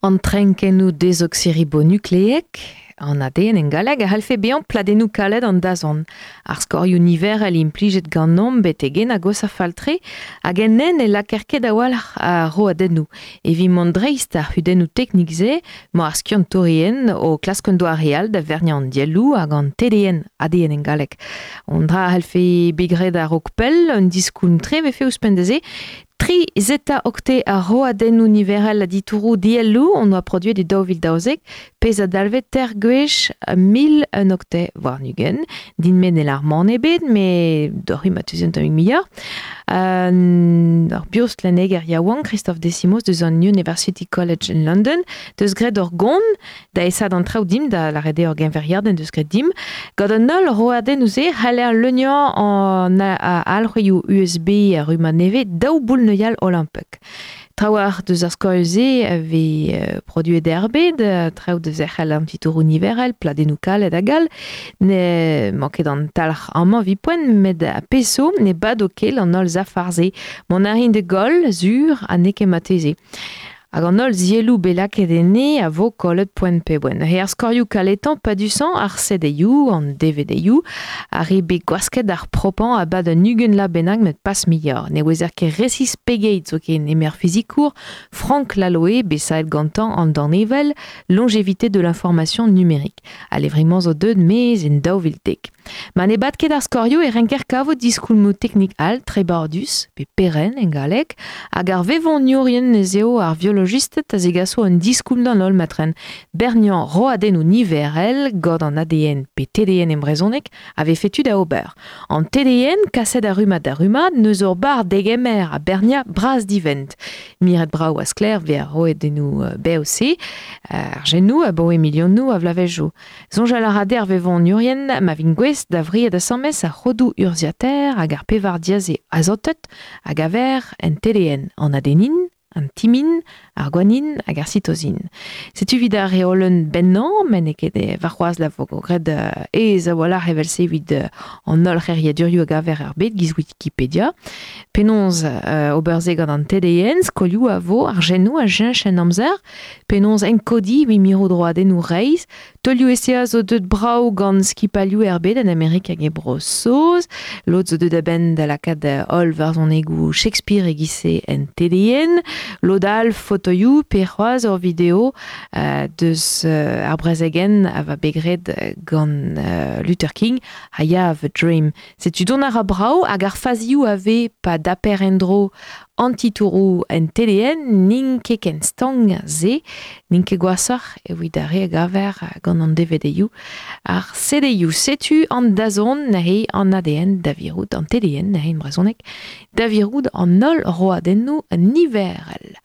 An trenkennoù dezoksiribonukleek, an ADN en galleg, a c'hallfe bezañ pladennoù kalet an dazont. Ar skorioù niverel implijet ganeomp betek-henn a gosa fall-tre hag en hent ne lakaer ket a-walc'h a roadennoù. Evit mont dreist ar c'hudennoù teknik-se emañ ar skiantourien o klask un doare all da verniañ an dielloù hag an TDN, ADN en galleg. Un dra a c'hallfe bet graet a-raok pell, un diskoulm-tre 'vefe ouzhpenn da se. Tri zeta okte ar roadennoù niverel a ditouroù dielloù hon oa produet e 2012, pezh a dalvez teir gwech 1001 okte warn-ugent. Din-me ne lâr mann ebet, met doc'h ma teus un tammig muioc'h. Ur biostllenneger yaouank, Christophe Desimos, deus an University College in London, deus graet ur gont da esaat an traoù dimp, da lâret eo ur genveriadenn deus graet dimp. Gant an holl roadennoù-se c'haller leuniañ an alc'hwezioù USB ar rummad nevez daou boull-neuial olimpek. Trawalc'h deus ar skoilh-se a vez produet er bed, traoù da zerc'hel an titouroù niverel, pladennoù kalet hag all. N'emañ ket an talc'h amañ evit poent, met pezh zo ne bado ket an holl safar-se. Mont a rin da goll, sur, ha n'eo ket marteze. Hag an holl zielloù bet lakaet enne a vo kollet poent pe boent. Neuze ar skorioù kaletañ padusañ, ar CD-ioù, an DVD-ioù, ar re bet gwasket ar propañ a-bad un 20 vloaz bennak met pas muioc'h. Ne ouezer ket resis pegeit zoken eme ar fizikour Frank Laloë, bet savet gantañ an danevell Longévité de l'information numérique. Al levrig-mañ zo deuet maez en 2010. Ma ne bad ket ar skorioù e renker kavout diskoulmoù teknik all trebardus, pe perenn en galleg, hag ar vevoniourien ez eo ar violojisted a zegaso un diskoulm d'an holl matren. Berniañ roadennoù niverel gant an ADN pe TDN en brezhoneg a vefe tu da ober. An TDN, kaset a rummad da rummad, n'eus ur barr degemer ha berniañ bras-divent. Miret brav ha sklaer vez ar roadennoù bev-se, ar genoù abaoe milionoù a vloavezhioù. Soñjal a ra dezhe ar vevoniourien ma vint gouest da wriat asambles ar c'hodoù urzhiataer hag ar pevar diaze azotet a gaver en TDN, an adenin, an timin, ar gwanin hag ar sitozin. Setu evit ar reolenn bennañ, met n'eo ket warc'hoazh la vo graet aes a-walc'h evel-se evit an holl c'heriadurioù a gaver er bed giz Wikipedia. Penaos ober se gant an TDN, skolioù a vo, ar genoù a cheñch en amzer, Penaos enkodiñ evit mirout roadennoù reizh? Taolioù esae zo deuet brav gant skipailhoù er bed en Amerik hag e Bro-Saoz. Lod zo deuet a-benn da lakaat holl varzhonegoù Shakespeare e-giz-se en TDN. Lod all fotoioù pe c'hoazh ur video deus ar brezegenn a va bet graet gant Luther King, I Have a Dream. Setu dont a ra brav hag ar fazioù a vez pa daper en-dro An titouroù en TDN n'int ket ken stank se, n'int ket gwashoc'h evit ar re a gaver gant an DVD-ioù. Ar CD-ioù, setu an dazont neuze an ADN da virout, an TDN neuze en brezhoneg, da virout an holl roadennoù niverel.